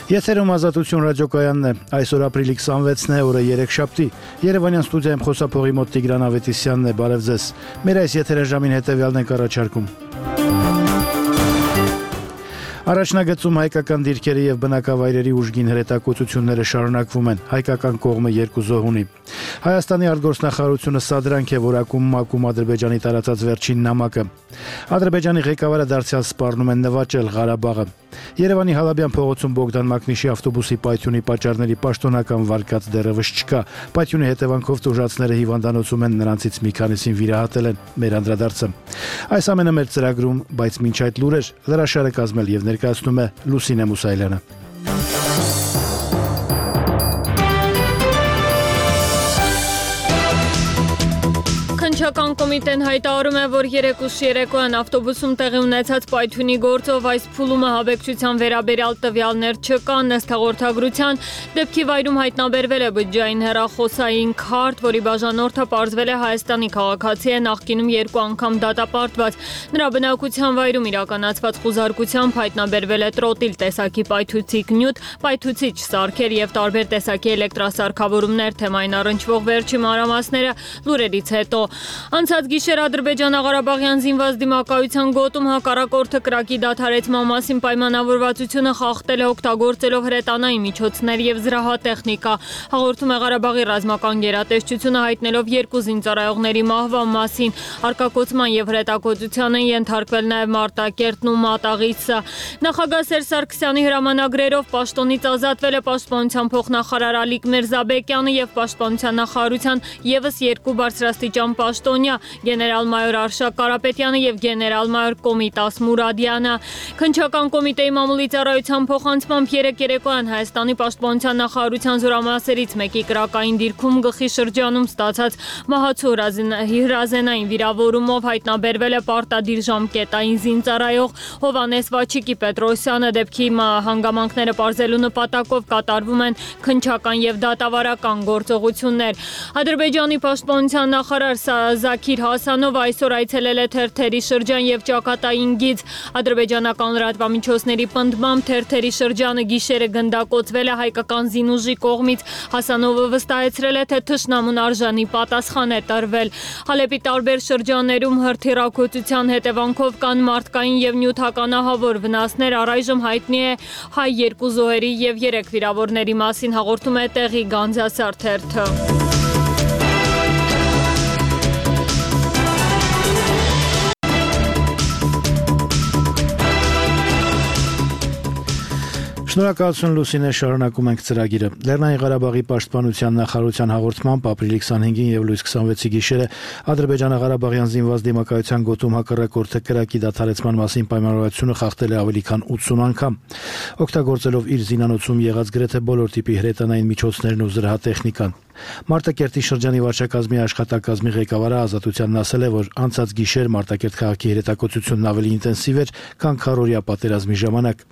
Եթերում Ազատություն ռադիոկայանն է, այսօր ապրիլի 26-ն է, օրը երեքշաբթի, Երևանյան ստուդիայում խոսափողի մոտ Տիգրան Ավետիսյանն է, բարև ձեզ, մեր այս եթերաժամին հետևյալն ենք առաջարկում. Առաջնագծում հայկական դիրքերի եւ բնակավայրերի ուժգին հրետակոծությունները շարունակվում են, հայկական կողմը 2 զոհ ունի. Հայաստանի արտգործնախարարությունը սադրանք է որակում մակում Ադրբեջանի տարածած վերջին նամակը. Ադրբեջանի ղեկավարը դարձյալ սպառնում են նվաճել Ղարաբաղը. Երևանի Հալաբյան փողոցում Բոգդան Մակնիշի ավտոբուսի պայթյունի պատճառների պաշտոնական վարկած դեռևս չկա. Պայթյունի հետևանքով տուժածները հիվանդանոցում են, նրանցից մի քանիսին վիրահատել են. Մեր անդրադարձը. Այս ամենը մեր ծրագրում, բայց մինչ այդ լուրեր, լրաշարը կազմել եւ ներկայացնում է Լուսինե Մուսայելյանը. Քննչական կոմիտեն հայտարարում է, որ 3 երեկոյան ավտոբուսում տեղի ունեցած պայթյունի գործով այս փուլումը հավեկչության վերաբերյալ տվյալներ չկան, ըստ հաղորդագրության, դեպքի վայրում հայտնաբերվել է բջջային հեռախոսային քարտ, որի բաժանորդը պարզվել է Հայաստանի քաղաքացի է, նախկինում 2 անգամ դատապարտված, նրա բնակության վայրում իրականացված խուզարկությամբ հայտնաբերվել է տրոտիլ տեսակի պայթուցիկ նյութ, պայթուցիչ սարքեր եւ տարբեր տեսակի էլեկտրասարքավորումներ, թեմային առնչվող վերջի մանրամասները լուրերից հետո. Անցած գիշեր Ադրբեջանա-Ղարաբաղյան զինված դիմակայության գոտում հակառակորդը կրակի դադարեցման մասին պայմանավորվածությունը խախտել է օգտագործելով հրետանային միջոցներ եւ զրահատեխնիկա, հաղորդում է Ղարաբաղի ռազմական գերատեսչությունը հայտնելով 2 զինծառայողների մահվան մասին, արկակոծման եւ հրետակոծության են ենթարկվել նաեւ Մարտակերտն ու Մատաղիսը. Նախագահ Սերժ Սարգսյանի հրամանագրերով պաշտոնից ազատվել է պաշտպանության փոխնախարար Ալիկ Միրզաբեկյանը եւ պաշտպանության նախարարության եւս 2 բարձրաստիճան պաշտոնյա գեներալ-մայոր Արշակ Կարապետյանը եւ գեներալ-մայոր Կոմիտաս Մուրադյանը. Քննչական կոմիտեի մամուլի ծառայության փոխանցմամբ 3 երեկոյան Հայաստանի պաշտպանության նախարարության զորամասերից մեկի կրակային դիրքում գլխի շրջանում ստացած մահացու հրազենային վիրավորումով հայտնաբերվել է պարտադիր ժամկետային զինծառայող Հովանես Վաչիկի Պետրոսյանը. դեպքի հանգամանքները պարզելու նպատակով կատարվում են քննչական եւ դատավարական գործողություններ. Ադրբեջանի պաշտպանության նախարար Զաքիր Հասանովը այսօր այցելել է Թերթերի շրջան եւ Ճակատային գիծ. ադրբեջանական լրատվամիջոցների պնդմամբ Թերթերի շրջանը գիշերը գնդակոծվել է հայկական զինուժի կողմից. Հասանովը վստահեցրել է, թե թշնամուն արժանի պատասխան է տրվել. Հալեպի տարբեր շրջաններում հրթիռակոծության հետևանքով կան մարդկային եւ նյութականահավոր վնասներ. առայժմ հայտնի է հայ 2 զոհերի եւ 3 վիրավորների մասին, հաղորդում է տեղի Գանձասար թերթը. Շնորհակալություն Լուսինե, շարունակում ենք ծրագիրը. Լեռնային Ղարաբաղի պաշտպանության նախարարության հաղորդմամբ ապրիլի 25-ին եւ լույս 26-ի գիշերը Ադրբեջանա-Ղարաբաղյան զինված դիմակայության գոտում հակառակորդը կրակի դադարեցման մասին պայմանավորվածությունը խախտել է ավելի քան 80 անգամ, օգտագործելով իր զինանոցում եղած գրեթե բոլոր տիպի հրետանային միջոցներն ու զրահատեխնիկան. Մարտակերտի շրջանի վարչակազմի աշխատակազմի ղեկավարը Ազատությանն ասել է, որ անցած գիշեր Մարտակերտ քաղաքի հրետակոծությունն ավելի ինտենսիվ էր, քան քառօրյա պատերազմի ժամանակ.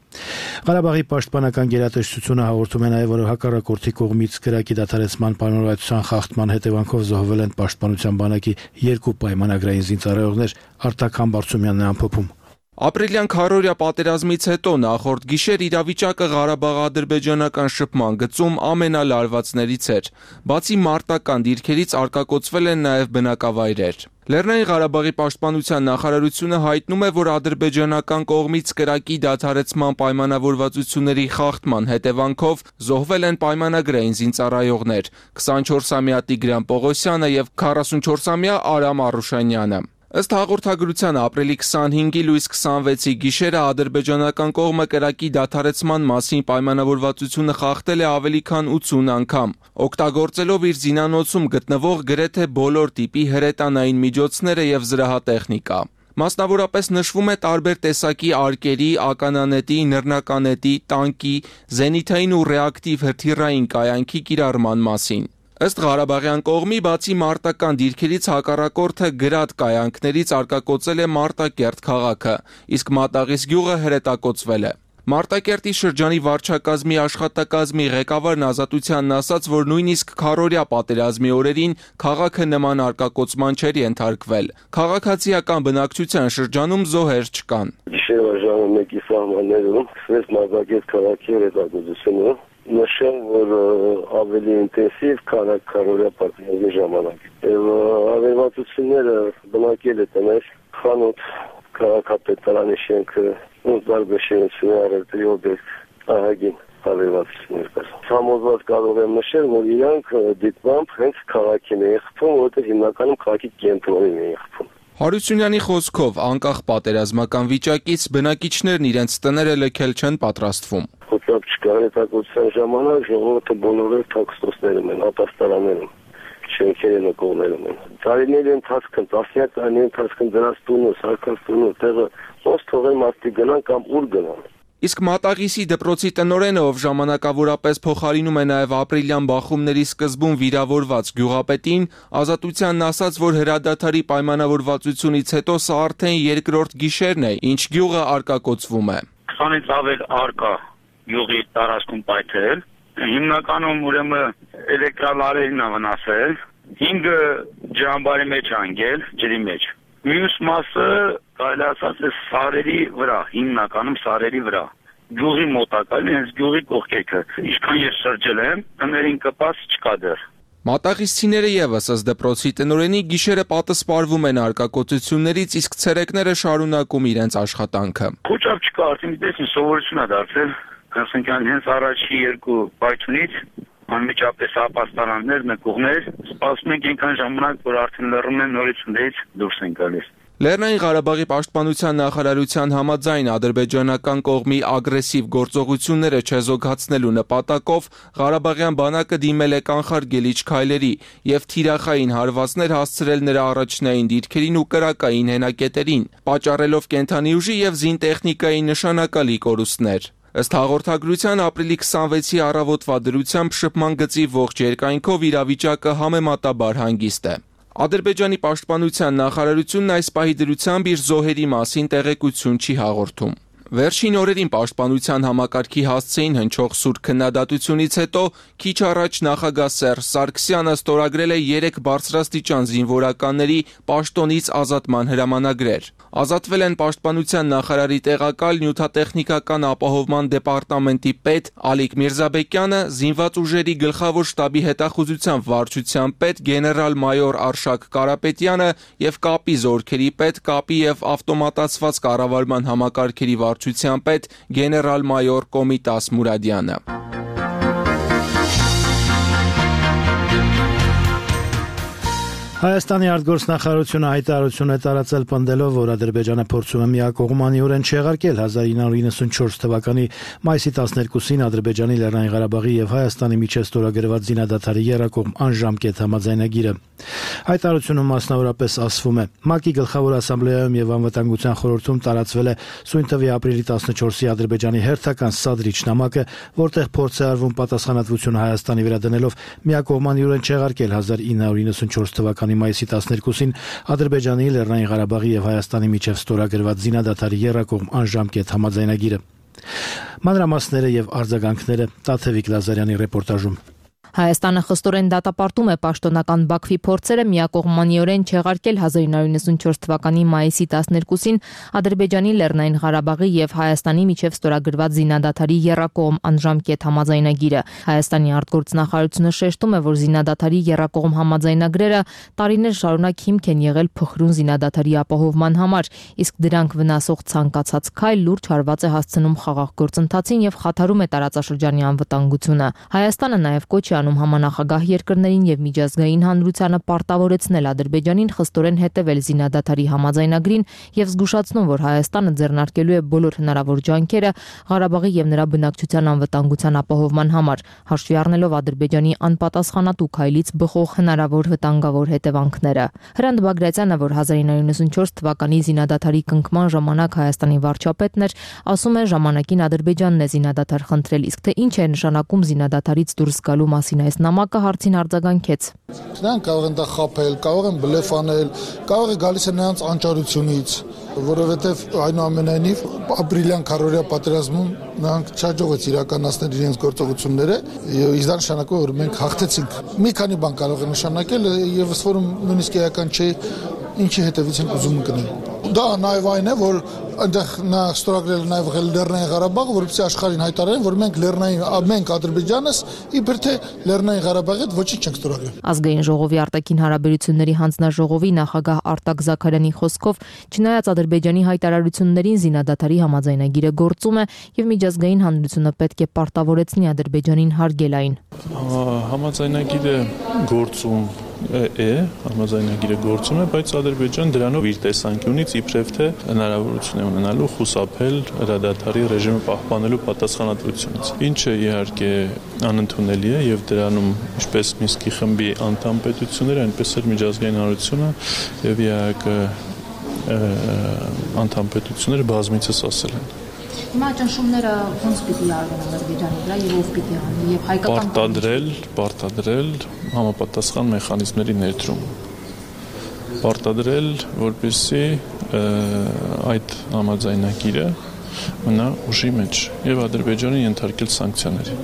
Ղարաբաղի պաշտպանական գերատեսչությունը հաղորդում է նաև, որ հակառակորդի կողմից կրակի դադարեցման պայմանավորվածության խախտման հետևանքով զոհվել են պաշտպանության բանակի 2 պայմանագրային զինծառայողներ. Արտակ Համբարձումյանն է ամփոփում. Ապրիլյան քառօրյա պատերազմից հետո նախորդ գիշեր իրավիճակը Ղարաբաղ-ադրբեջանական շփման գծում ամենալարվածներից էր. բացի մարտական դիրքերից արկակոծվել են նաև բնակավայրեր. Լեռնային Ղարաբաղի պաշտպանության նախարարությունը հայտնում է, որ ադրբեջանական կողմից կրակի դադարեցման պայմանավորվածությունների խախտման հետևանքով զոհվել են պայմանագրային զինծառայողներ 24-ամյա Տիգրան Պողոսյանը եւ 44-ամյա Արամ Արուշանյանը. Ըստ հաղորդագրության ապրիլի 25-ի լույս 26-ի գիշերը ադրբեջանական կողմը կրակի դադարեցման մասին պայմանավորվածությունը խախտել է ավելի քան 80 անգամ, օգտագործելով իր զինանոցում գտնվող գրեթե բոլոր տիպի հրետանային միջոցները եւ զրահատեխնիկա. Մասնավորապես նշվում է տարբեր տեսակի արկերի, ականանետի, նռնականետի, տանկի, զենիթային ու ռեակտիվ հրթիռային կայանքի կիրառման մասին. Ըստ Ղարաբաղյան կողմի, բացի մարտական դիրքերից հակառակորդը գրադ կայանքներից արկակոծել է Մարտակերտ քաղաքը, իսկ Մատաղիս գյուղը հրետակոծվել է. Մարտակերտի շրջանի վարչակազմի աշխատակազմի ղեկավարն Ազատությանն ասաց, որ նույնիսկ քառօրյա պատերազմի օրերին քաղաքը նման արկակոծման չէր ենթարկվել։ Քաղաքացիական բնակչության շրջանում զոհեր չկան։ Գիշերվա ժամը 1-ի սահմաններում սկսվեց Մարտակերտ քաղաքի օրեգործությունը։ Նշեմ, որ ավելի ինտենսիվ քան քառօրյա պատերազմի ժամանակ։ Եվ ավերվածությունները բնակել է տներ, խանութ, քաղաքապետարանի շենքը, տարբեր շինություններ առևտրի օբյեկտ ահագին ավերվածություններ կար։ Համոզված կարող եմ նշել, որ իրանք դիտմամբ հենց քաղաքին էին խփում, որովհետև հիմնականում քաղաքի կենտրոնին էին խփում։ Հարությունյանի խոսքով, անկախ պատերազմական վիճակից բնակիչներն իրենց տները լքել չեն պատրաստվում։ Խոսապ չկար հետաքրքրության ժամանակ ժողովուրդը բոլորը թաքստոցներում են, ապաստարաններում, շենքերի նկողներում են։ Տարիների ընթացքում, տասնյակ տարիների ընթացքում դրանց տունը, սարքած տունը, տեղը ոնց թողեն մարդիկ գնան կամ ուր գնան։ Իսկ Մատաղիսի դպրոցի տնօրենը, ով ժամանակավորապես փոխարինում է նաև ապրիլյան բախումների սկզբում վիրավորված գյուղապետին, Ազատությանն ասաց, որ հրադադարի պայմանավորվածությունից հետո սա արդեն երկրորդ գիշերն է, ինչ գյուղը արկակոծվում է։ 20-ից ավել արկա գյուղի տարածքում պայթել, հիմնականում ուրեմն էլեկտրալարերին է վնասել, 5 ջրամբարի մեջ անգել, ջրի մեջ։ Մյուս մասը կարելի ասած է սարերի վրա, հիմնականում սարերի վրա։ Գյուղի մոտակայքն, հենց գյուղի կողքերը։ Ինչքան ես շրջել եմ, տներին կպած չկա դեռ։ Մատաղիսցիները եւս ըստ դպրոցի տնօրենի գիշերը պատսպարվում են արկակոծություններից, իսկ ցերեկները շարունակում իրենց աշխատանքը։ Քոչապ չկա, արդեն դեսին սովորություն է դարձել, ասենք հենց առաջի 2 պայթունից անմիջապես ապաստարաններ, նկուղներ, սպասում ենք այնքան ժամանակ, որ արդեն լռում են նորից ունդից դուրս են գալիս։ Լեռնային Ղարաբաղի պաշտպանության նախարարության համաձայն ադրբեջանական կողմի ագրեսիվ գործողությունները չեզոքացնելու նպատակով Ղարաբաղյան բանակը դիմել է կանխարգելիչ քայլերի եւ թիրախային հարվածներ հասցրել նրա առաջնային դիրքերին ու կրակային հենակետերին, պատճառելով կենթանի ուժի եւ զինտեխնիկայի նշանակալի կորուստներ։ Ըստ հաղորդագրության ապրիլի 26-ի առավոտվա դրությամբ շփման գծի ողջ երկայնքով իրավիճակը համեմատաբար հանգիստ է։ Ադրբեջանի պաշտպանության նախարարությունն այս պահի դրությամբ իր զոհերի մասին տեղեկություն չի հաղորդում։ Վերջին օրերին պաշտպանության համակարգի հասցեին հնչող սուր քննադատությունից հետո քիչ առաջ նախագահ Սերժ Սարգսյանը ստորագրել է 3 բարձրաստիճան զինվորականների պաշտոնից ազատման հրամանագրեր։ Ազատվել են պաշտպանության նախարարի տեղակալ նյութատեխնիկական ապահովման դեպարտամենտի պետ Ալիկ Միրզաբեկյանը, զինված ուժերի գլխավոր շտաբի հետախուզության վարչության պետ գեներալ-մայոր Արշակ Կարապետյանը եւ կապի զորքերի պետ, կապի եւ ավտոմատացված կառավարման համակարգերի վարչության պետ գեներալ-մայոր Կոմիտաս Մուրադյանը։ Հայաստանի արտգործնախարարությունը հայտարարություն է տարածել պնդելով, որ Ադրբեջանը փորձում է միակողմանիորեն չեղարկել 1994 թվականի մայիսի 12-ին Ադրբեջանի Լեռնային Ղարաբաղի եւ Հայաստանի միջև ստորագրված զինադադարի եռակողմ անժամկետ համաձայնագիրը։ Հայտարարությունում մասնավորապես ասվում է. ՄԱԿ-ի գլխավոր ասամբլեայում եւ անվտանգության խորհրդում տարածվել է սույն թվականի ապրիլի 14-ի Ադրբեջանի հերթական սադրիչ նամակը, որտեղ փորձ է արվում պատասխանատվությունը Հայաստանի վրա դնելով միակողմանիորեն չեղարկել 1994 թվականի մայիսի 12-ին Ադրբեջանի, Լեռնային Ղարաբաղի եւ Հայաստանի միջև ստորագրված զինադադարի եռակողմ անժամկետ համաձայնագիրը։ Մանրամասները եւ արձագանքները Տաթևիկ Լազարյանի ռեպորտաժում։ Հայաստանը խստորեն դատապարտում է պաշտոնական Բաքվի փորձերը միակողմանիորեն չեղարկել 1994 թվականի մայիսի 12-ին Ադրբեջանի, Լեռնային Ղարաբաղի եւ Հայաստանի միջև ստորագրված զինադադարի եռակողմ անժամկետ համաձայնագիրը։ Հայաստանի արտգործնախարարությունը շեշտում է, որ զինադադարի եռակողմ համաձայնագրերը տարիներ շարունակ հիմք են եղել փխրուն զինադադարի ապահովման համար, իսկ դրանք վնասող ցանկացած քայլ լուրջ հարված է հասցնում խաղաղ գործընթացին եւ խաթարում է տարածաշրջանի անվտանգությունը։ Հայաստանը նաեւ կոչ է անում համանախագահ երկրներին եւ միջազգային հանրությանը պարտավորեցնել Ադրբեջանին խստորեն հետևել զինադադարի համաձայնագրին եւ զգուշացնում, որ Հայաստանը ձեռնարկելու է բոլոր հնարավոր ջանքերը Ղարաբաղի եւ նրա բնակչության անվտանգության ապահովման համար, հաշվի առնելով Ադրբեջանի անպատասխանատու քայլից բխող հնարավոր վտանգավոր հետևանքները։ Հրանտ Բագրատյանը, որ 1994 թվականի զինադադարի կնքման ժամանակ Հայաստանի վարչապետն էր, ասում է, ժամանակին Ադրբեջանն է զինադադար խնդրել, իսկ թե ինչ է նշանակում զինադադարից դուրս գալու մասին այս նամակը հարցին արձագանքեց. Նրանք կարող են դա խաբել, կարող են բլեֆ անել, կարող է գալիս է նրանց անճարությունից, որովհետև այնուամենայնիվ ապրիլյան քարորիա պատերազմում նրանք չհաջողվեց իրականացնել իրենց գործողությունները, իսկ դա նշանակում է, որ մենք հաղթեցինք։ Մի քանի բան կարող է նշանակել եւ ըստ որում նույնիսկ էական չէ ինչի հետևից են ուզում ընկնել։ Դա նաև այն է, որ այնտեղ նա ստորագրել է նաև Լեռնային Ղարաբաղը, որպեսզի աշխարհին հայտարարեն, որ մենք Ադրբեջանս իբր թե Լեռնային Ղարաբաղի հետ ոչինչ չենք ստորագրել։ Ազգային ժողովի արտաքին հարաբերությունների հանձնաժողովի նախագահ Արտակ Զաքարյանի խոսքով, չնայած Ադրբեջանի հայտարարություններին զինադադարի համաձայնագիրը գործում է եւ միջազգային հանրությունը պետք է պարտավորեցնի Ադրբեջանին հարգել այն։ Համաձայնագիրը գործում համաձայնագիրը գործում է, բայց Ադրբեջան դրանով իր տեսանկյունից իբրև թե հնարավորություն է ունենալու խուսափել հրադադարի ռեժիմը պահպանելու պատասխանատվությունից։ Ինչը իհարկե անընդունելի է եւ դրանում ինչպես Մինսկի խմբի անդամ պետությունները, այնպես էլ միջազգային հանրությունը եւ իհարկե անդամ պետությունները բազմիցս ասել են։ Հիմա ճնշումները ոնց պիտի արվեն Ադրբեջանի վրա եւ ով պիտի անի եւ հայկական պարտադրել համապատասխան մեխանիզմների ներդրում։ Պարտադրել, որպեսզի այդ համաձայնագիրը մնա ուժի մեջ եւ Ադրբեջանը ենթարկել սանկցիաների։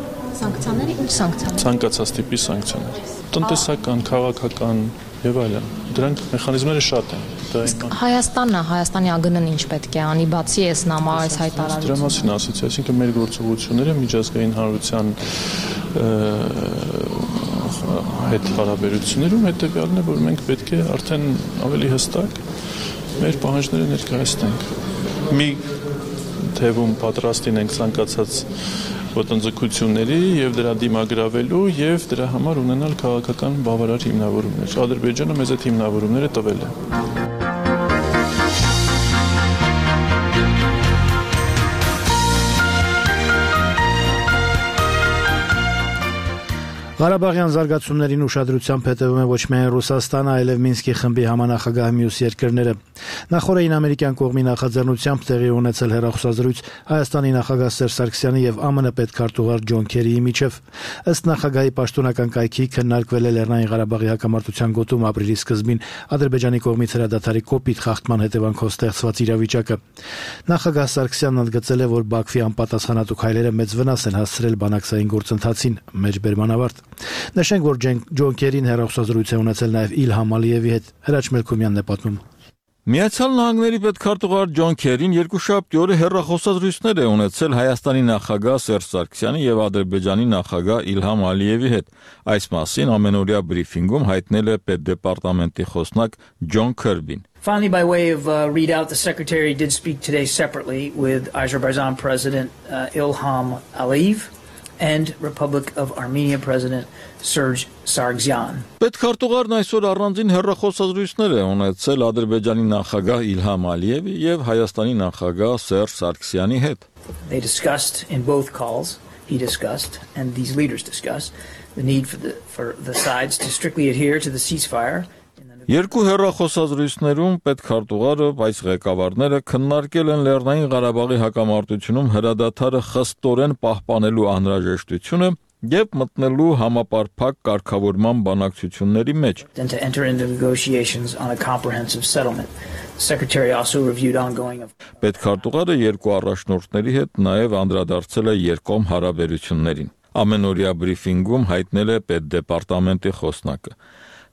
Սանկցիաների ինչ սանկցիաներ։ Ցանկացած տիպի սանկցիաներ։ Տնտեսական, քաղաքական եւ այլն։ Դրանք մեխանիզմները շատ են։ Հայաստանի ԱԳՆ-ն ինչ պետք է անի, բացի այս այս հայտարարությունից։ Դրա մասին ասացի, այսինքն մեր գործողությունները միջազգային հանրության հետ հարաբերություններում հետեւյալն է, որ մենք պետք է արդեն ավելի հստակ մեր պահանջները ներկայացնենք։ Մի թևում պատրաստին ենք ցանկացած ոտնձգությունների եւ դրա դիմագրավելու եւ դրա համար ունենալ քաղաքական բավարար հիմնավորումներ։ Ադրբեջանը մեզ այդ հիմնավորումները տվել է։ Ղարաբաղյան զարգացումներին ուշադրությամբ հետևում է ոչ միայն Ռուսաստանը, այլև Մինսկի խմբի համանախագահ մյուս երկրները։ Նախորդին ամերիկյան կողմի նախաձեռնությամբ տեղի ունեցել հեռախոսազրույց Հայաստանի նախագահ Սերժ Սարգսյանի եւ ԱՄՆ պետքարտուղար Ջոն Քերիի միջև։ Ըստ նախագահի պաշտոնական կայքի քննարկվել է Լեռնային Ղարաբաղի հակամարտության գոտում ապրիլի սկզբին Ադրբեջանի կողմից հրադադարի կոպիտ խախտման հետևանքով ստեղծված իրավիճակը։ Նախագահ Սարգսյանն ընդգծել է, որ Բաքվի անպատասխանատու քայլերը մեծ վնաս են հասցրել բանակցային գործընթացին։ Մեջբերման ավարտ։ Նշենք, որ Ջոն Քերին հեռախոսազրույց է ունեցել նաև Իլհամ Ալիևի հետ։ Հրաչ Մելքումյանն է պատմում։ Միացյալ Նահանգների պետքարտուղար Ջոն Քերին երկուշաբթի օրը հեռախոսազրույցներ է ունեցել Հայաստանի նախագահ Սերժ Սարգսյանի եւ Ադրբեջանի նախագահ Իլհամ Ալիևի հետ։ Այս մասին ամենօրյա բրիֆինգում հայտնել է պետդեպարտամենտի խոսնակ Ջոն Քերբին։ Finally, by way of readout, the Secretary did speak today separately with Azerbaijan President Ilham Aliyev and Republic of Armenia President Serge Sargsyan. Պետքարտուղարն այսօր առանձին հեռախոսազրույցներ է ունեցել Ադրբեջանի նախագահ Իլհամ Ալիևի եւ Հայաստանի նախագահ Սերժ Սարգսյանի հետ։ They discussed in both calls, he discussed and these leaders discussed the need for the sides to strictly adhere to the ceasefire. Երկու հեռախոսազրույցներում պետքարտուղարը, այս ղեկավարները քննարկել են Լեռնային Ղարաբաղի հակամարտությունում հրադադարը խստորեն պահպանելու անհրաժեշտությունը եւ մտնելու համապարփակ կարգավորման բանակցությունների մեջ։ Պետքարտուղարը երկու առաջնորդների հետ նաեւ անդրադարձել է երկկողմ հարաբերություններին։ Ամենօրյա բրիֆինգում հայտնել է պետդեպարտամենտի խոսնակը։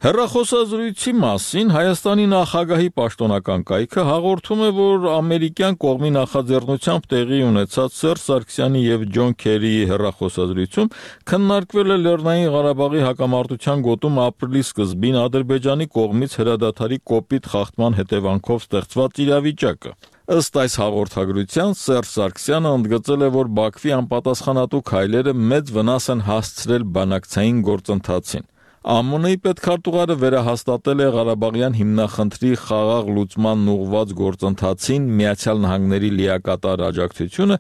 Հեռախոսազրույցի մասին Հայաստանի նախագահի պաշտոնական կայքը հաղորդում է, որ ամերիկյան կողմի նախաձեռնությամբ տեղի ունեցած Սերժ Սարգսյանի եւ Ջոն Քերիի հեռախոսազրույցում քննարկվել է Լեռնային Ղարաբաղի հակամարտության գոտում ապրիլի սկզբին Ադրբեջանի կողմից հրադադարի կոպիտ խախտման հետևանքով ստեղծված իրավիճակը։ Ըստ այս հաղորդագրության Սերժ Սարգսյանը ընդգծել է, որ Բաքվի անպատասխանատու քայլերը մեծ վնաս են հասցրել բանակցային գործընթացին։ ԱՄՆ-ի պետքարտուղարը վերահաստատել է Ղարաբաղյան հիմնախնդրի խաղաղ լուծման ուղղված գործընթացին Միացյալ Նահանգների լիակատար աջակցությունը,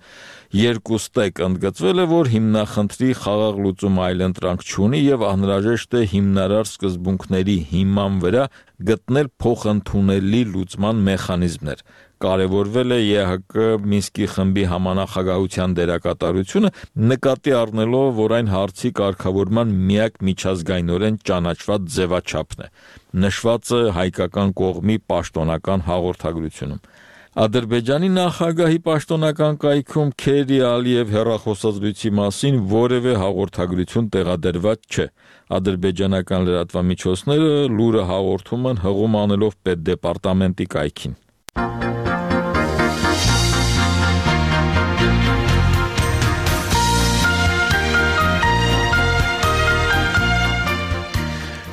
երկուստեք ընդգծվել է, որ հիմնախնդրի խաղաղ լուծումը այլընտրանք չունի եւ անհրաժեշտ է հիմնարար սկզբունքների հիման վրա գտնել փոխընդունելի լուծման մեխանիզմներ։ Կարևորվել է ԵՀԿ Մինսկի խմբի համանախագահության դերակատարությունը, նկատի առնելով, որ այն հարցի կարգավորման միակ միջազգայինորեն ճանաչված ձևաչափն է, նշված է հայկական կողմի պաշտոնական հաղորդագրությունում։ Ադրբեջանի նախագահի պաշտոնական կայքում Քերի Ալիև հեռախոսազրույցի մասին որևէ հաղորդագրություն տեղադրված չէ։ Ադրբեջանական լրատվամիջոցները լուրը հաղորդում են հղում անելով պետդեպարտամենտի կայքին։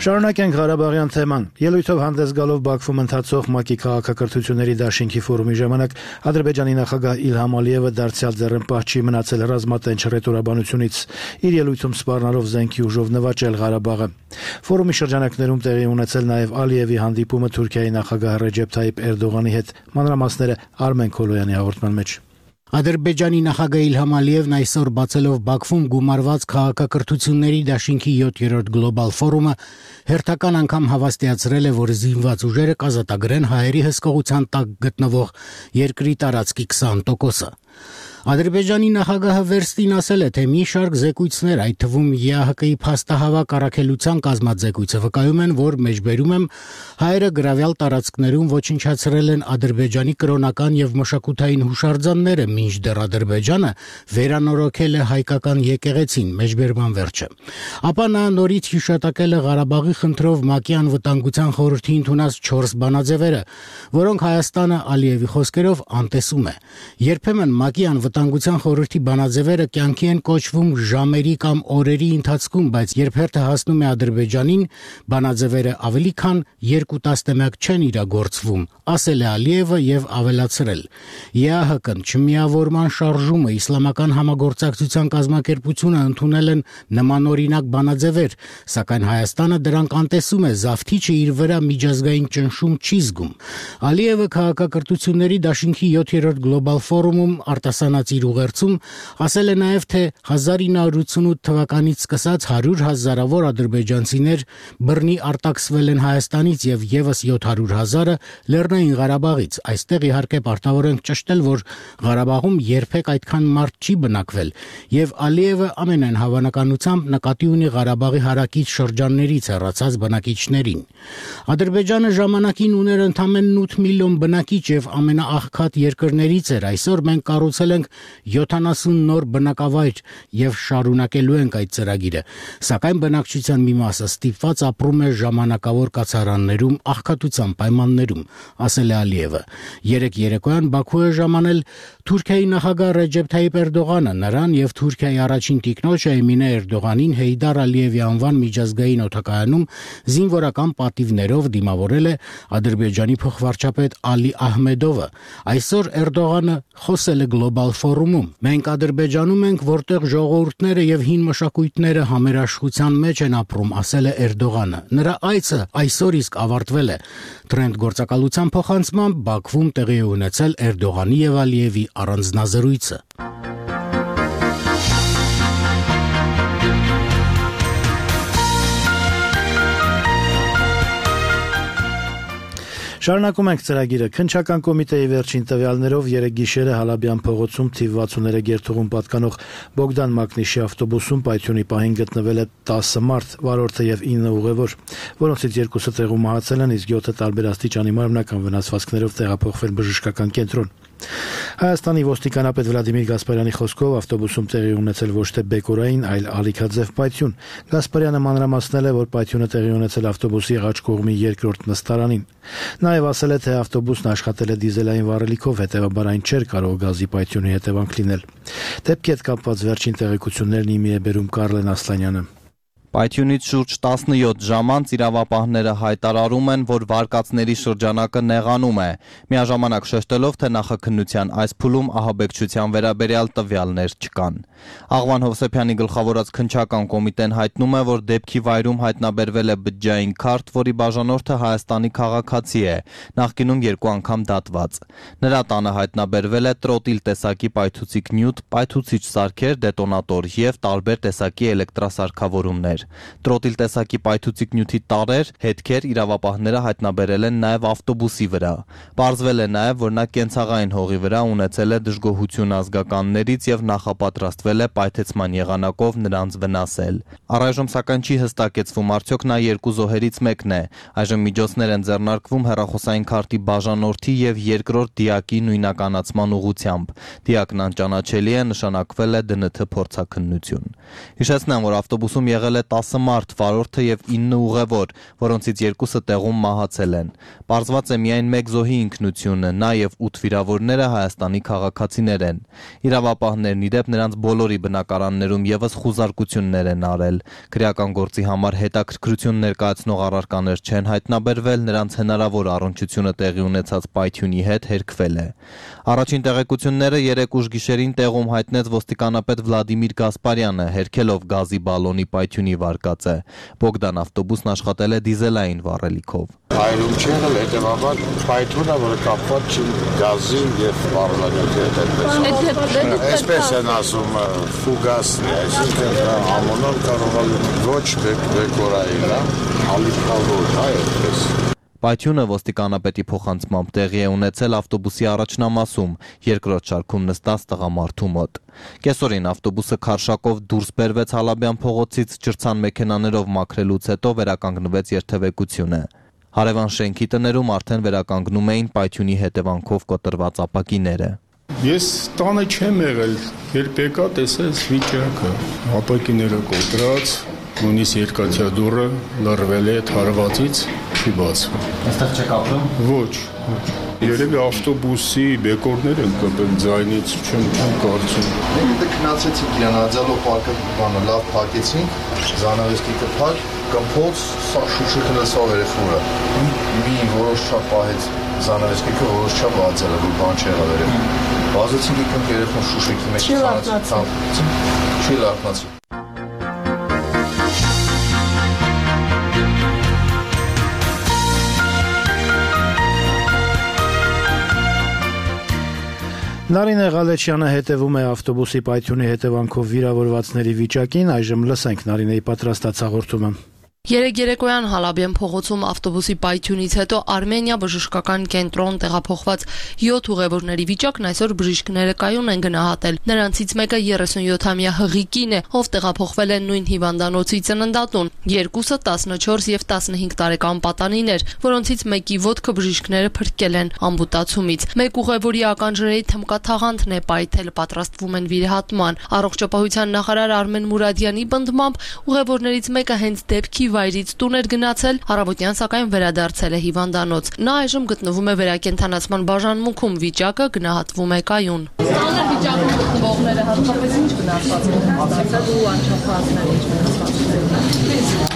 Շարունակենք Ղարաբաղյան թեման։ Ելույթով հանդես գալով Բաքվում ընթացող ՄԱԿ-ի քաղաքակրթությունների դաշինքի ֆորումի ժամանակ Ադրբեջանի նախագահ Իլհամ Ալիևը դարձյալ ձեռնպահ չի մնացել ռազմատենչ ռետորաբանությունից, իր ելույթում սպառնալով զենքի ուժով նվաճել Ղարաբաղը։ Ֆորումի շրջանակներում տեղի ունեցել նաև Ալիևի հանդիպումը Թուրքիայի նախագահ Ռեջեփ Թայիփ Էրդողանի հետ։ Մանրամասները Արմեն Քոլոյանի հաղորդման մեջ։ Ադրբեջանի նախագահ Իլհամ Ալիևն այսօր բացելով Բաքվում գումարված քաղաքակրթությունների դաշինքի 7-րդ գլոբալ ֆորումը հերթական անգամ հավաստիացրել է, որ զինված ուժերը կազատագրեն հայերի հսկողության տակ գտնվող երկրի տարածքի 20%-ը։ Ադրբեջանի նախագահը վերստին ասել է, թե մի շարք զեկույցներ, այդ թվում ԵԱՀԿ-ի փաստահավաք առաքելության կազմած զեկույցը վկայում են, որ մեջբերում եմ հայերը գրավյալ տարածքներում ոչնչացրել են Ադրբեջանի կրոնական եւ մշակութային հուշարձանները, մինչդեռ Ադրբեջանը վերանորոգել է հայկական եկեղեցին, մեջբերման վերջը։ Ապա նա նորից հիշատակել է Ղարաբաղի խնդրով ՄԱԿ-ի անվտանգության խորհրդի ընդունած 4 բանաձևերը, որոնք Հայաստանը Ալիևի խոսքերով անտեսում է։ Երբեմն ՄԱԿ-ի անվտանգության խորհրդի բանաձևերը կյանքի են կոչվում ժամերի կամ օրերի ընթացքում, բայց երբ հերթը հասնում է Ադրբեջանին, բանաձևերը ավելի քան 2 տասնամյակ չեն իրագործվում, ասել է Ալիևը եւ ավելացրել. ԵԱՀԿ-ն, Չմիավորման շարժումը, Իսլամական համագործակցության կազմակերպությունը ընդունել են նմանօրինակ բանաձևեր, սակայն Հայաստանը դրանք անտեսում է, զավթիչը իր վրա միջազգային ճնշում չի զգում։ Ալիևը քաղաքակրթությունների դաշինքի 7-րդ գլոբալ ֆորումում արտասանած իր ուղերձում ասել է նաև, թե 1988 թվականից սկսած 100 հազարավոր ադրբեջանցիներ բռնի արտաքսվել են Հայաստանից եւ եւս 700 հազարը Լեռնային Ղարաբաղից։ Այստեղ իհարկե պարտավոր ենք ճշտել, որ Ղարաբաղում երբեք այդքան մարդ չի բնակվել, եւ Ալիևը ամենայն հավանականությամբ նկատի ունի Ղարաբաղի հարակից շրջաններից հեռացած բնակիչներին։ Ադրբեջանը ժամանակին ուներ ընդամենը 8 միլիոն բնակիչ եւ ամենաաղքատ երկրներից էր։ Այսօր մենք կառուցել ենք 70 նոր բնակավայր եւ շարունակելու ենք այդ ծրագիրը, սակայն բնակչության մի մասը ստիպված ապրում է ժամանակավոր կացարաններում աղքատության պայմաններում, ասել է Ալիևը։ Երեկ երեկոյան Բաքու է ժամանել Թուրքիայի նախագահ Ռեջեփ Թայիփ Էրդողանը, նրան եւ Թուրքիայի առաջին տիկնոջ Էմինե Էրդողանին Հեյդար Ալիևի անվան միջազգային օդակայանում զինվորական պատիվներով դիմավորել է Ադրբեջանի փոխվարչապետ Ալի Ահմեդովը։ Այսօր Էրդողանը խոսել է գլոբալ ֆորումում։ Մենք Ադրբեջանում ենք, որտեղ ժողովուրդները եւ հին մշակույթները համերաշխության մեջ են ապրում, ասել է Էրդողանը։ Նրա այցը այսօր իսկ ավարտվել է։ Թրենդ գործակալության փոխանցմամբ Բաքվում տեղի է ունեցել Էրդողանի եւ Ալիևի առանձնազրույցը։ Շարունակում ենք ծրագիրը։ Քննչական կոմիտեի վերջին տվյալներով երեկ գիշերը Հալաբյան փողոցում թիվ 63 գերթուղում պատկանող Բոգդան Մակնիշի ավտոբուսում պայթյունի պահին գտնվել է 10 մարդ, վարորդը եւ 9 ուղևոր, որոնցից 2-ը տեղում մահացել են, իսկ 7-ը տարբեր աստիճանի մարմնական վնասվածքներով տեղափոխվել բժշկական կենտրոն։ Հայաստանի ոստիկանապետ Վլադիմիր Գասպարյանի խոսքով ավտոբուսում տեղի ունեցել ոչ թե բեկորային, այլ ալիքաձև պայթյուն։ Գասպարյանը մանրամասնել է, որ պայթյունը տեղի ունեցել ավտոբուսի ղաչ կողմի երկրորդ նստարանին։ Նաև ասել է, թե ավտոբուսն աշխատել է դիզելային վառելիքով, հետևաբար այն չէր կարող գազի պայթյունի հետևանք լինել։ Դեպքի հետ կապված վերջին տեղեկություններն իմի է բերում Կարլեն Ասլանյանը։ Պայթյունից շուրջ 17 ժամ անց իրավապահները հայտարարում են, որ վարկածների շրջանակը նեղանում է, միաժամանակ շեշտելով, թե նախաքննության այս փուլում ահաբեկչության վերաբերյալ տվյալներ չկան։ Աղվան Հովսեփյանի գլխավորած քննչական կոմիտեն հայտնում է, որ դեպքի վայրում հայտնաբերվել է բջջային քարտ, որի բաժանորդը Հայաստանի քաղաքացի է, նախկինում 2 անգամ դատված։ Նրա տանը հայտնաբերվել է տրոտիլ տեսակի պայթուցիկ նյութ, պայթուցիչ սարքեր, դետոնատոր եւ տարբեր տեսակի էլեկտրասարքավորումներ։ Տրոտիլ տեսակի պայթուցիկ նյութի տարրեր, հետքեր իրավապահները հայտնաբերել են նաև ավտոբուսի վրա։ Պարզվել է նաև, որ նա կենցաղային հողի վրա ունեցել է դժգոհություն ազգականներից եւ նախապատրաստվել է պայթեցման եղանակով նրանց վնասել։ Առայժմ սակայն չի հստակեցվում արդյոք նա երկու զոհերից մեկն է։ Այժմ միջոցներ են ձեռնարկվում հեռախոսային քարտի բաժանորդի եւ երկրորդ դիակի նույնականացման ուղղությամբ։ Դիակն անճանաչելի է, նշանակվել է ԴՆԹ փորձաքննություն։ Հիշեցնեմ, որ ավտոբուսում եղել է 10 մարդ, վարորդը եւ 9 ուղևոր, որոնցից 2-ը տեղում մահացել են։ Պարզված է միայն 1 զոհի ինքնությունը, նա եւ 8 վիրավորները Հայաստանի քաղաքացիներ են։ Իրավապահներն ի դեպ նրանց բոլորի բնակարաններում եւս խուզարկություններ են արել։ Քրեական գործի համար հետաքրքրություն ներկայացնող առարկաներ չեն հայտնաբերվել, նրանց հնարավոր առնչությունը տեղի ունեցած պայթյունի հետ հերքվել է։ Առաջին տեղեկությունները 3 ուշ գիշերին տեղում հայտնեց ոստիկանապետ Վլադիմիր Գասպարյանը, հերքելով գազի բալոնի պայթյունի վարկածը։ Բոգդան ավտոբուսն աշխատել է դիզելային վառելիքով։ Հայրում չի եղել, հետևաբար պայթյունը, որը կապված չի գազի եւ բառնանյութի հետ։ Այսպես են ասում ֆուգասն է, այսինքն ամոնոն կարող է ոչ բեկորային, ալիքավոր, այդպես։ Պայթյունը ոստիկանապետի փոխանցմամբ տեղի է ունեցել ավտոբուսի առաջնամասում, երկրորդ շարքում նստած տղամարդու մոտ։ Կեսօրին ավտոբուսը քարշակով դուրս բերվեց Հալաբյան փողոցից, ջրցան մեքենաներով մաքրելուց հետո վերականգնվեց երթևեկությունը։ Հարևան շենքի տներում արդեն վերականգնում էին պայթյունի հետևանքով կոտրված ապակիները։ Ես տանը չեմ եղել, երբ եկա տեսես վիճակը, ապակիները կոտրած, նույնիսկ երկաթյա դուռը լռվել է թարվածից, չի բացվում։ Այստեղ չեք ապրում։ Ոչ։ Երևի ավտոբուսի բեկորներ են կպել ձայնից, չեմ կարծում։ Դե քնացեցինք իրան աջալով պարկը բանը լավ փակեցինք, զանավեսկի կփակ, կմփոց, սա շուշը քնեցավ երեխորը։ Մի որոշ չափ պահեց զանավեսկիկը, որոշ չափ աջալը, որ բան չեղավ երեխը։ Վազեցինք եկնք երեխոն շուշեկի մեջ ցանցեցինք։ Չի լարտնացի։ Նարինե Ղալեչյանը հետևում է ավտոբուսի պայթյունի հետևանքով վիրավորվածների վիճակին, այժմ լսենք Նարինեի պատրաստած հաղորդումը։ Երեկ երեկոյան Հալաբյան փողոցում ավտոբուսի պայթյունից հետո Արմենիա բժշկական կենտրոն տեղափոխված 7 ուղևորների վիճակն այսօր բժիշկները կայուն են գնահատել։ Նրանցից մեկը 37-ամյա հղիկին է, ով տեղափոխվել է նույն հիվանդանոցի ծննդատուն։ Երկուսը 14 եւ 15 տարեկան պատանիներ, որոնցից մեկի ոտքը բժիշկները փրկել են ամբուտացումից։ Մեկ ուղևորի ականջների թմկաթաղանթն է պայթել, պատրաստվում են վիրահատման։ Առողջապահության նախարար Արմեն Մուրադյանի պնդմամբ ուղևորներից մեկը հենց դեպքի վայրից տուն էր գնացել, առավոտյան սակայն վերադարձել է հիվանդանոց։ Նա այժմ գտնվում է վերակենդանացման բաժանմունքում, վիճակը գնահատվում է կայուն։ Ստանալ վիճակում գտնվողները հատկապես ինչ վնասվածքներ են ստացել ու անչափահասներ ինչ վնասվածքներ։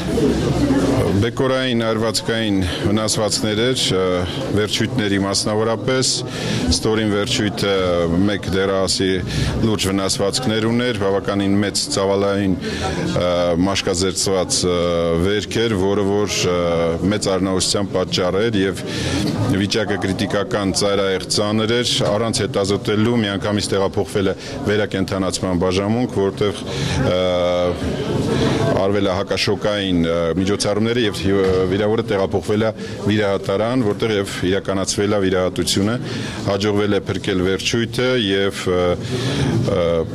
Բեկորային արվածքային վնասվածքներ էր, վերջույթների մասնավորապես, ստորին վերջույթը մեկ դեռահասի լուրջ վնասվածքներ ուներ, բավականին մեծ ծավալային մաշկազերծված վերք էր, որը որ մեծ առնահոսության պատճառ էր եւ վիճակը կրիտիկական ծայրահեղ ծանր էր, առանց հետազոտելու միանգամից տեղափոխվել է վերակենդանացման բաժանմունք, որտեղ արվել է հակաշոկային միջոցառումները եւ վիրավորը տեղափոխվել է վիրահատարան, որտեղ եւ իրականացվել է վիրահատությունը, հաջողվել է փրկել վերջույթը եւ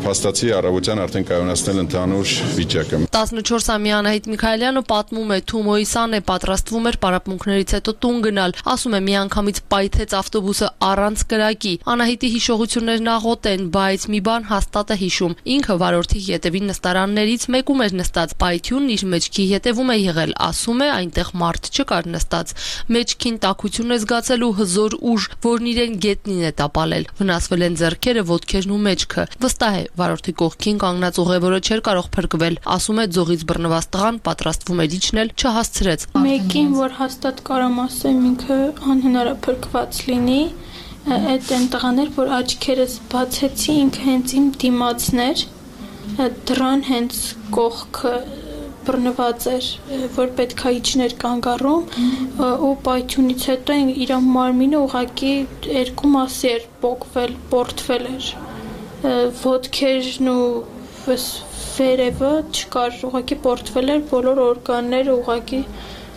փաստացի առավոտյան արդեն կայունացնել ընդհանուր վիճակը։ 14-ամյա Անահիտ Միքայելյանը պատմում է, Թումոյի սան է պատրաստվում էր պարապմունքներից հետո տուն գնալ, ասում է միանգամից պայթեց ավտոբուսը առանց կրակի։ Անահիտի հիշողություններն աղոտ են, բայց մի բան հաստատ է հիշում։ Ինքը վարորդի ետևի նստարաններից մեկում էր նստած, պայթյունն իր մեջքի ետևում է եղել, ասում է այնտեղ մարդ չկար նստած։ Մեջքին տաքություն է զգացել ու հզոր ուժ, որն իրեն գետնին է տապալել։ Վնասվել են ձեռքերը, ոտքերն ու մեջքը։ Վստահ է, վարորդի կողքին կանգնած ուղևորը չէր կարող փրկվել, ասում է ձողից բռնված տղան պատրաստվում էր իջնել, չհասցրեց։ Մեկին, որ հաստատ կարամ ասեմ, ինքը անհնար է փրկված լինի, այդ այն տղաներ, որ աչքերս բացեցի, ինքը հենց իմ դիմացն էր, դրան հենց կողքը բռնված էր, որ պետք է իջներ կանգառում ու պայթյունից հետո իր մարմինը ուղղակի երկու մասի էր պոկվել, պորտվել էր, ոտքերն ու այս վերևը չկար, ուղղակի պորտվել էր բոլոր օրգանները, ուղղակի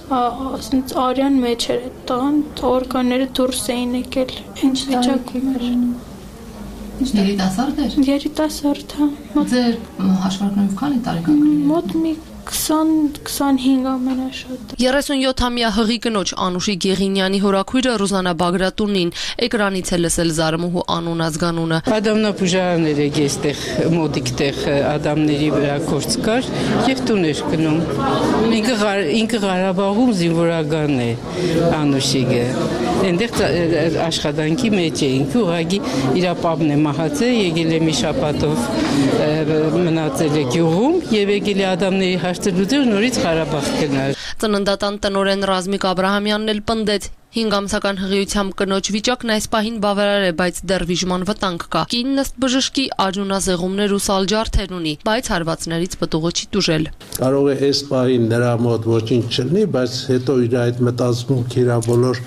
արյան մեջ էր այդ տղան, օրգանները դուրս էին եկել, ինչ վիճակում էր։ Երիտասարդ էր։ Երիտասարդ, հա։ Ձեր հաշվարկներով քանի տարեկան կլինի։ Մոտ մի 20-25 ամենաշատը։ 37-ամյա հղի կնոջ Անուշի Գեղինյանի հորաքույրը Ռուզանա Բագրատունին էկրանից է լսել զարմուհու անուն ազգանունը։ Ադամնապուժարաններ է այստեղ մոդիկ տեղ ադամների վրա կորց կար եւ տուն էր գնում։ Ինքը Ղարաբաղում զինվորական է Անուշիգը։ Այնտեղ աշխատանքի մեջ է ինքը ուղղակի իր պապն է մահացել, եկել է մի շաբաթով մնացել է գյուղում եւ եկել է ադամների հաշտելուձեր նորից Ղարաբաղ գնալ։ Ծննդատան տնօրեն Ռազմիկ Աբրահամյանն էլ պնդեց 5 ամսական հղիությամբ կնոջ վիճակն այս պահին բավարար է, բայց դեռ վիժման վտանգ կա։ Կինն ըստ բժշկի արյունազեղումներ ու սալջարդեր ունի, բայց հարվածներից պտուղը չի տուժել։ Կարող է այս պահին նրա մոտ ոչինչ չլինի, բայց հետո իր այդ մտածմունքի իր բոլոր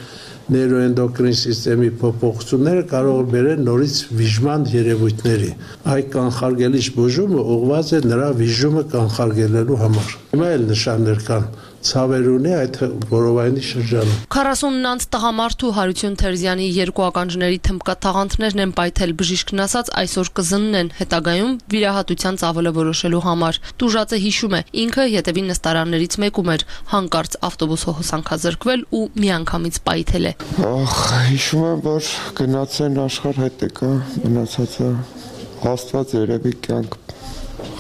նեյրոենդոկրին սիստեմի փոփոխությունները կարող է բերել նորից վիժման երևույթների։ Այդ կանխարգելիչ բուժումը ուղղված է նրա վիժումը կանխարգելելու համար։ Հիմա էլ նշաններ կան ցավեր ունի այդ որովայնի շրջանում։ 40-նանց տղամարդու Հարություն Թերզյանի երկու ականջների թմբկաթաղանթներն են պայթել, բժիշկն ասաց այսօր կզննեն, հետագայում վիրահատության ծավալը որոշելու համար։ Տուժածը հիշում է, ինքը ետևի նստարաններից մեկում էր, հանկարծ ավտոբուսը հոսանքազրկվել ու միանգամից պայթել է։ Հիշում եմ, որ գնացեն աշխարհ հետ եկա, մնացածը Աստված երևի կյանք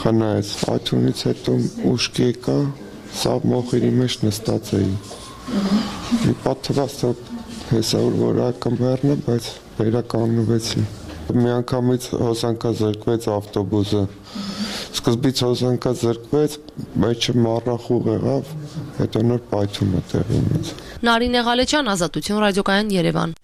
խնայեց։ Այդունից հետո ուշքի եկա, սա մոխիրի մեջ նստած էի։ Մի պատվաց հեսավոր որ ակամբերն է, բայց վերականգնվեցի։ Միանգամից հոսանքազրկվեց ավտոբուսը։ Սկզբից հոսանքազրկվեց, մեջը մառախուղ եղավ, հետո նոր պայթումը տեղի ունեցավ։ Նարինե Ղալեչյան, Ազատություն, Ռադիոկայան, Երևան։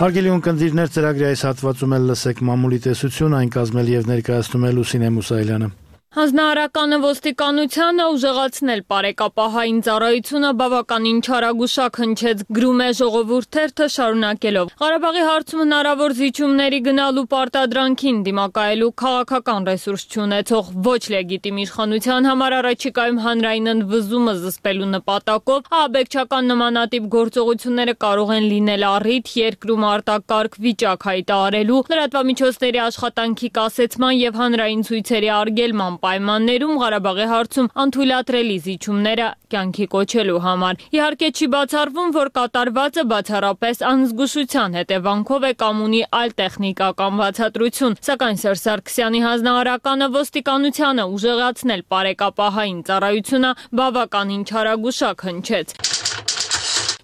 Հարգելի ունկնդիրներ, ծրագրի այս հատվածում էլ լսեք մամուլի տեսություն, այն կազմել եւ ներկայացնում է Լուսինե Մուսայելյանը։ Հանձնարարականը ոստիկանությանը ուժեղացնել պարեկապահային ծառայությունը բավականին չարագուշակ հնչեց, գրում է Ժողովուրդ թերթը շարունակելով։ Ղարաբաղի հարցում հնարավոր զիջումների գնալու պարտադրանքին դիմակայելու քաղաքական ռեսուրս չունեցող ոչ լեգիտիմ իշխանության համար առաջիկայում հանրային ընդվզումը զսպելու նպատակով ահաբեկչական նմանատիպ գործողությունները կարող են լինել առիթ երկրում արտակարգ վիճակ հայտարարելու, լրատվամիջոցների աշխատանքի կասեցման եւ հանրային ցույցերի արգելման պայմաններում Ղարաբաղի հարցում անթույլատրելի զիջումները կյանքի կոչելու համար։ Իհարկե չի բացառվում, որ կատարվածը բացառապես անզգուշության հետևանքով է կամ ունի այլ տեխնիկական բացատրություն, սակայն Սերժ Սարգսյանի հանձնարարականը ոստիկանությանը ուժեղացնել պարեկապահային ծառայությունը բավականին չարագուշակ հնչեց։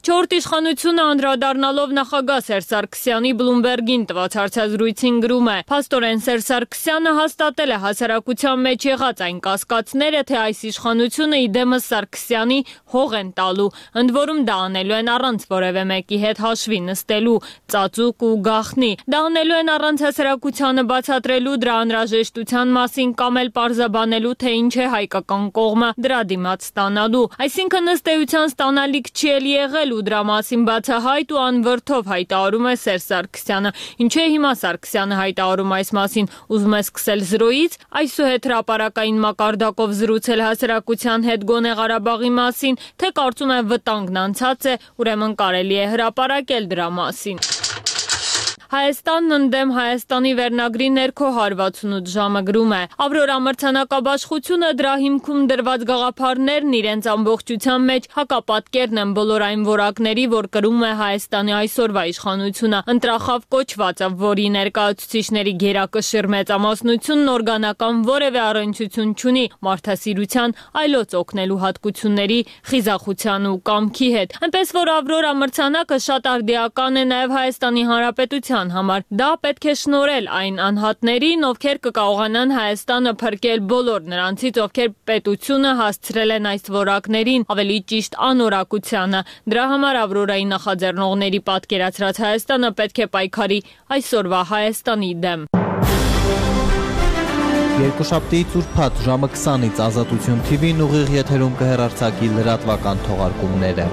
Չորրորդ իշխանությունը անդրադառնալով նախագահ Սերժ Սարգսյանի Բլումբերգին տված հարցազրույցին գրում է. Փաստորեն Սերժ Սարգսյանը հաստատել է հասարակության մեջ եղած այն կասկածները, թե այս իշխանությունը իդեմս Սարգսյանի հող են տալու, ընդ որում դա անելու են առանց որևէ մեկի հետ հաշվի նստելու, ծածուկ ու գաղտնի։ Դա անելու են առանց հասարակությանը բացատրելու դրա անհրաժեշտության մասին կամ էլ պարզաբանելու, թե ինչ է հայկական կողմը դրա դիմաց ստանալու։ Այսինքն ըստ էության ստանալիք չի էլ եղել ու դրա մասին բացահայտ ու անվրդով հայտարարում է Սերժ Սարգսյանը։ Ինչու է հիմա Սարգսյանը հայտարարում այս մասին, ուզում է սկսել զրոյից, այսուհետ հրապարակային մակարդակով զրուցել հասարակության հետ գոնե Ղարաբաղի մասին, թե կարծում է վտանգն անցած է, ուրեմն կարելի է հրապարակել դրա մասին։ Հայաստանն ընդդեմ Հայաստանի վերնագրի ներքո 168 ժամը գրում է. Ավրորա մրցանակաբաշխությունը դրա հիմքում դրված գաղափարներն իրենց ամբողջության մեջ հակապատկերն են բոլոր այն որակների, որ կրում է Հայաստանի այսօրվա իշխանությունը, ընտրախավ կոչվածը, որի ներկայացուցիչների գերակշիռ մեծամասնությունն օրգանական որևէ առնչություն չունի մարդասիրության, այլոց օգնելու հատկությունների, խիզախության ու կամքի հետ։ Այնպես որ Ավրորա մրցանակը շատ արդիական է նաև Հայաստանի Հանրապետության համար։ Դա պետք է շնորհել այն անհատներին, ովքեր կկարողանան Հայաստանը փրկել բոլոր նրանցից, ովքեր պետությունը հասցրել են այս որակներին, ավելի ճիշտ անորակությանը։ Դրա համար Ավրորայի նախաձեռնողների պատկերացրած Հայաստանը պետք է պայքարի այսօրվա Հայաստանի դեմ։ Երկուշաբթիից ուրբաթ ժամը 20-ից Ազատություն TV-ն ուղիղ եթերում կհեռարձակի լրատվական թողարկումները։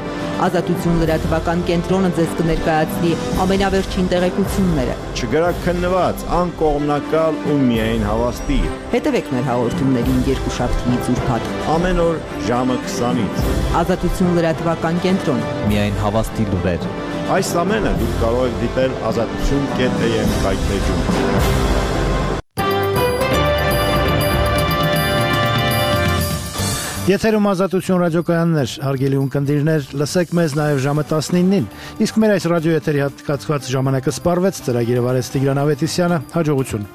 Ազատություն լրատվական կենտրոնը ձեզ կներկայացնի ամենավերջին տեղեկությունները։ Չգրաքննված, անկողմնակալ ու միայն հավաստի։ Հետևեք մեր հաղորդումներին երկուշաբթիից ուրբաթ ամեն օր ժամը 20-ից։ Ազատություն լրատվական կենտրոն։ Միայն հավաստի լուրեր։ Այս ամենը դուք կարող եք դիտել azatutun.am կայքէջում։ Եթերում Ազատություն ռադիոկայաններ, հարգելի ունկնդիրներ, լսեք մեզ նաև ժամը 19-ին, իսկ մեր այս ռադիոեթերի հատկացված ժամանակը սպառվեց, ծրագիրը վարեց Տիգրան Ավետիսյանը, հաջողություն։